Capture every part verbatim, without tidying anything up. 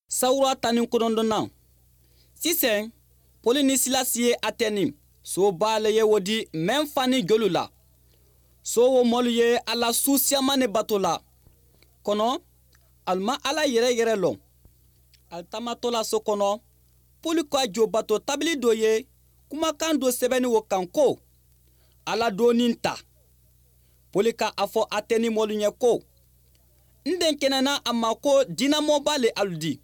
Sawura tani konondonna. Sisen, poli ni silasi ye ateni soo baa le ye wo di meŋ fani jolu la. Soo wo moolu ye alla suusiyamani bato la. Kono, ali maŋ alla yereyere loŋ. Ali tamatola so kono, poli ko a joo bato tabili doo ye kumakaŋ doo sebeni wo kaŋ ko, alla doo niŋ ta. Poli ka a fo ateni moolu ɲe ko, n denkenena a ma ko diinamoo baa le alu di.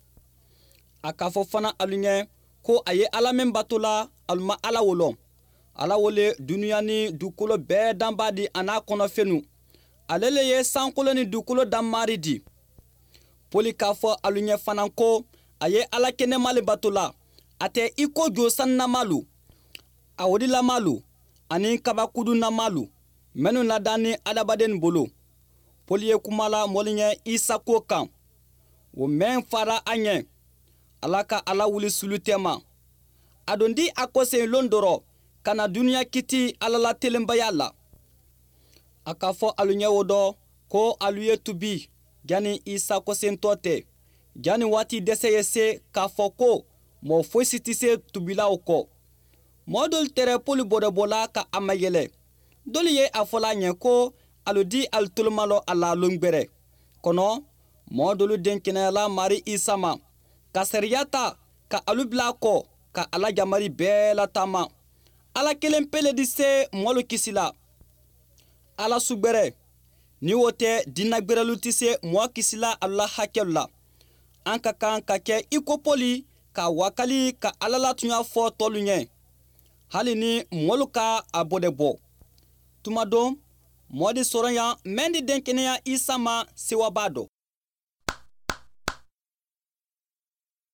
A ka a fo fanaŋ alu ɲe ko a ye alla meŋ bato la, alu maŋ alla wo loŋ. Alla wo le duniyaa niŋ dukulo bee dambaa di a niŋ a kono fenu. Ale le ye sankoloo niŋ dukulo dammaari di. Poli ka a fo alu ɲe fanaŋ ko, a ye alla kenema le bato la. A te i ko joo sannamaalu, a wodilamaalu, aniŋ kabakudunnamaalu mennu ladaani adamadennu bulu. Poli ye kuma la moolu ɲe isa kuwo kaŋ, wo meŋ faara a ɲe, alla ka a lawuli sulu teema. A dondi a koseŋ loŋ doro ka na duniyaa kiti alla la telembayaa la. A ka a fo alu ɲe wo do ko alu ye tubi janniŋ isa kosentoo te, janniŋ waati dese ye see ka a fo ko moo foyi si ti see tubilawo ko. Moo doolu tere poli bodobo la ka a mayele. Doolu ye a fo la a ɲe ko alu di alu tolomaloo a la loŋ gbere. Kono, moo doolu denkeneyala maarii isa ma ka sariya taa ka alu bula a ko ka alla jamari bee lataama. Alla keleŋ pele di see moolu kisi la. Alla sugbere, niŋ wo te dinnagberelu ti see moo kisi la alu la hakelu la. Aŋ ka kaŋ ka ke i ko poli ka a wakali ka alla la tuɲaa fo toolu ɲe, hali niŋ moolu ka a bodebo. Tuma doŋ, moo di soroyaŋ meŋ di denkeneyaŋ isa ma sewa baa do.